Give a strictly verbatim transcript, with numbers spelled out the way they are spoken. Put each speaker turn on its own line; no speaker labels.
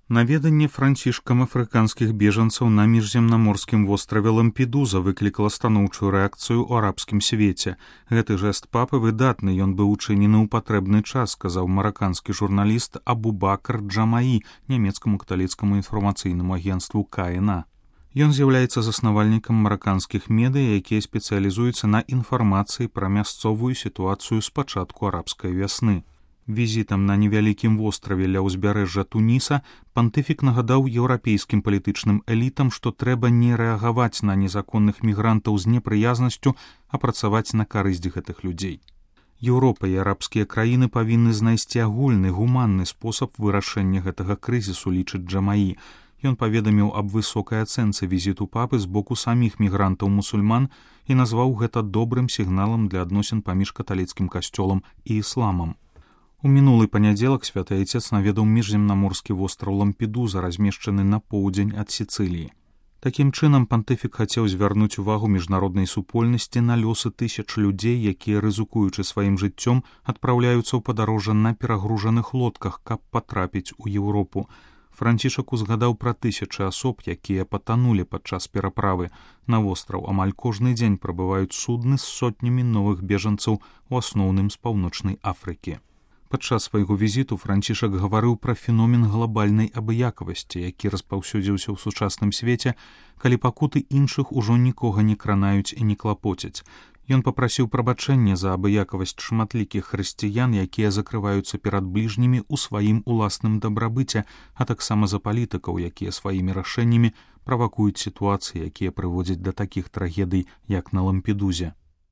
Наведанне францішкам афрыканскіх бежанцаў на міжземнаморскім востраве Лампедуза выклікала станоўчую рэакцыю ў арабскім свеце. Гэты жэст папы выдатны, ён быў учынены ў патрэбны час, сказаў мараканскі журналіст Абубакр Джамаі нямецкаму каталіцкаму інфармацыйнаму агенцтву Ка Эн А. Ён з'яўляецца заснавальнікам мараканскіх медыя, якія спецыялізуюцца на інфармацыі пра мясцовую сітуацыю з пачатку арабскай вясны. Візітам на невялікім востраве ля ўзбярэжжа Туніса пантыфік нагадаў еўрапейскім палітычным элітам, што трэба не рэагаваць на незаконных мігрантаў з непрыязнасцю, а працаваць на карысць гэтых людзей. Еўропа і арабскія краіны павінны знайсці агульны гуманны спосаб вырашэння гэтага крызісу, лічыць Джамаі. Ён паведаміў аб высокай ацэнцы візіту папы з боку саміх мігрантаў-мусульман і назваў гэта добрым сігналам для адносін паміж каталіцкім касцёлам і ісламам. У мінулы панядзелак святы айцец наведаў міжземнаморскі востраў Лампедуза, размешчаны на поўдзень ад Сіцыліі. Такім чынам пантыфік хацеў звярнуць увагу міжнароднай супольнасці на лёсы тысяч людзей, якія, рызыкуючы сваім жыццём, адпраўляюцца ў падарожжа на перагружаных лодках, каб патрапіць у Еўропу. Францішак узгадаў пра тысячы асоб, якія патанулі падчас пераправы. На востраў амаль кожны дзень прыбываюць судны з сотнямі новых бежанцаў, у асноўным з паўночнай Афрыкі. Падчас свайго візіту Францішак гаварыў пра феномен глабальнай абыякавасці, які распаўсюдзіўся ў сучасным свеце, калі пакуты іншых ужо нікога не кранаюць і не клапоцяць. Ён папрасіў прабачэння за абыякавасць шматлікіх хрысціян, якія закрываюцца перад бліжнімі ў сваім уласным дабрабыце, а таксама за палітыкаў, якія сваімі рашэннямі правакуюць сітуацыі, якія прыводзяць да такіх трагедый, як на Лампедузе.